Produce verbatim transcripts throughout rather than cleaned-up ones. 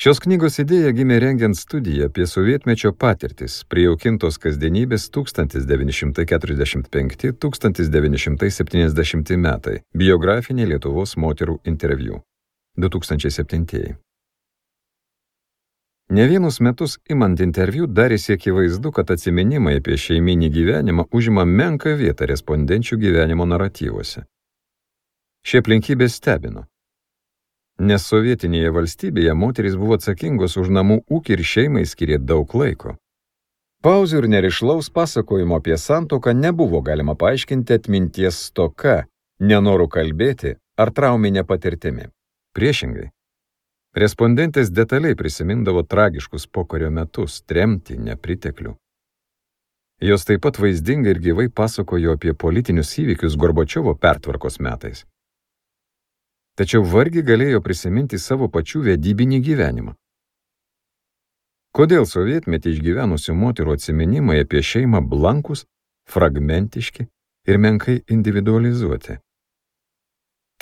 Šios knygos idėja gimė rengiant studiją apie sovietmečio patirtis, prijaukintos kasdienybės tūkstantis devyni šimtai keturiasdešimt penkti - tūkstantis devyni šimtai septyniasdešimti metai, biografinė Lietuvos moterų interviu, du tūkstančiai septintieji. Ne vienus metus imant interviu darėsi akivaizdu, kad atsiminimai apie šeiminį gyvenimą užima menką vietą respondenčių gyvenimo naratyvuose. Šie aplinkybės stebino. Nes sovietinėje valstybėje moterys buvo atsakingos už namų ūkį ir šeimai skyrė daug laiko. Pauzių ir nerišlaus pasakojimo apie santuoką nebuvo galima paaiškinti atminties stoka, nenoru kalbėti ar trauminė patirtimi. Priešingai, respondentės detaliai prisimindavo tragiškus pokario metus, tremtį, nepriteklių. Jos taip pat vaizdingai ir gyvai pasakojo apie politinius įvykius Gorbačiovo pertvarkos metais. Tačiau vargiai galėjo prisiminti savo pačių vedybinį gyvenimą. Kodėl sovietmetį išgyvenusių moterų atsiminimai apie šeimą blankus, fragmentiški ir menkai individualizuoti?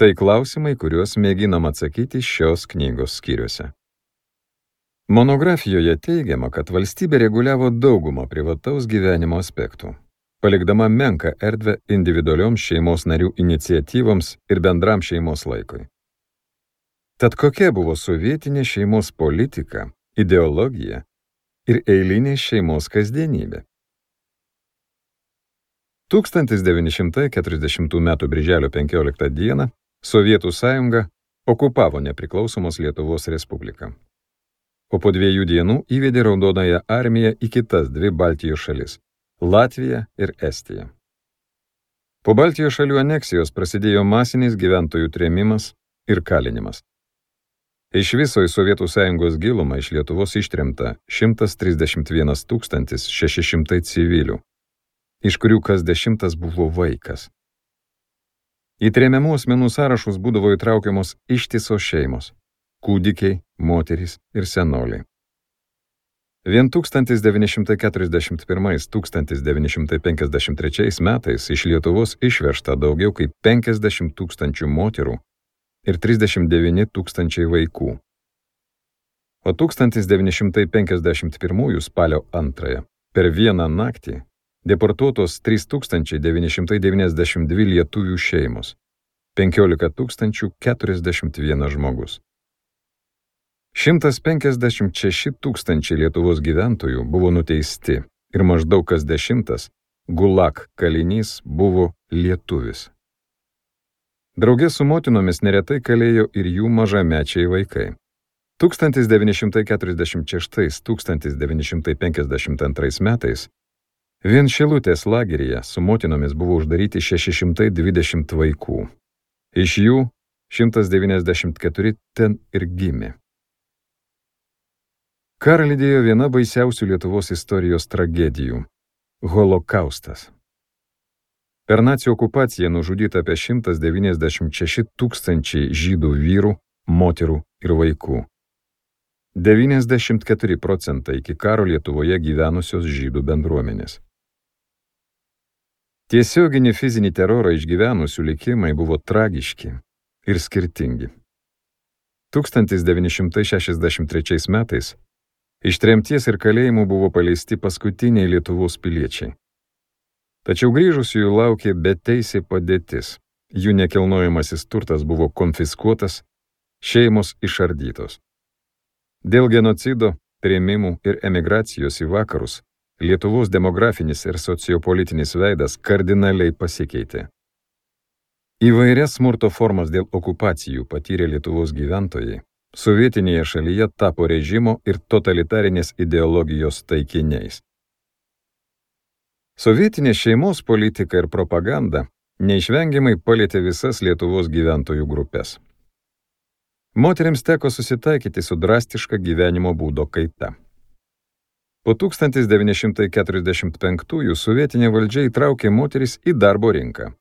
Tai klausimai, kuriuos mėginam atsakyti šios knygos skyriuose. Monografijoje teigiama, kad valstybė reguliavo daugumą privataus gyvenimo aspektų, palikdama menką erdvę individualioms šeimos narių iniciatyvoms ir bendram šeimos laikui. Tad kokia buvo sovietinė šeimos politika, ideologija ir eilinė šeimos kasdienybė? tūkstantis devyni šimtai keturiasdešimtų metų birželio penkioliktą dieną Sovietų sąjunga okupavo nepriklausomos Lietuvos Respubliką, o po dviejų dienų įvedė Raudonąją armiją į kitas dvi Baltijos šalis – Latviją ir Estiją. Po Baltijos šalių aneksijos prasidėjo masinis gyventojų trėmimas ir kalinimas. Iš viso į Sovietų sąjungos gilumą iš Lietuvos ištremta šimtas trisdešimt vienas tūkstantis šeši šimtai civilių, iš kurių kas dešimtas buvo vaikas. Į tremiamų asmenų sąrašus būdavo įtraukiamos ištisos šeimos – kūdikiai, moterys ir senoliai. Vien tūkstantis devyni šimtai keturiasdešimt pirmais - tūkstantis devyni šimtai penkiasdešimt trečiais metais iš Lietuvos išvežta daugiau kaip penkiasdešimt tūkstančių moterų ir trisdešimt devyni tūkstančiai vaikų. O tūkstantis devyni šimtai penkiasdešimt pirmųjų spalio antrąją per vieną naktį deportuotos trys tūkstančiai devyni šimtai devyniasdešimt dvi lietuvių šeimos, penkiolika tūkstančių keturiasdešimt vienas žmogus. šimtas penkiasdešimt šeši tūkstančiai Lietuvos gyventojų buvo nuteisti ir maždaug kas dešimtas gulag kalinys buvo lietuvis. Drauge su motinomis neretai kalėjo ir jų mažamečiai vaikai. tūkstantis devyni šimtai keturiasdešimt šeštais - tūkstantis devyni šimtai penkiasdešimt antrais metais vien Šilutės lageryje su motinomis buvo uždaryti šeši šimtai dvidešimt vaikų. Iš jų šimtas devyniasdešimt keturi ten ir gimė. Karą lydėjo viena baisiausių Lietuvos istorijos tragedijų – Holokaustas. Per nacių okupaciją nužudyta apie šimtas devyniasdešimt šeši tūkstančiai žydų vyrų, moterų ir vaikų. devyniasdešimt keturi procentai iki karo Lietuvoje gyvenusios žydų bendruomenės. Tiesioginį fizinį terorą išgyvenusių likimai buvo tragiški ir skirtingi. tūkstantis devyni šimtai šešiasdešimt trečiais metais iš tremties ir kalėjimų buvo paleisti paskutiniai Lietuvos piliečiai. Tačiau grįžusiųjų laukė beteisė padėtis, jų nekilnojamasis turtas buvo konfiskuotas, šeimos išardytos. Dėl genocido, trėmimų ir emigracijos į vakarus Lietuvos demografinis ir sociopolitinis veidas kardinaliai pasikeitė. Įvairias smurto formas dėl okupacijų patyrė Lietuvos gyventojai, sovietinėje šalyje tapo režimo ir totalitarinės ideologijos taikiniais. Sovietinė šeimos politika ir propaganda neišvengiamai palietė visas Lietuvos gyventojų grupės. Moterims teko susitaikyti su drastiška gyvenimo būdo kaita. Po tūkstantis devyni šimtai keturiasdešimt penktųjų sovietinė valdžia įtraukė moteris į darbo rinką,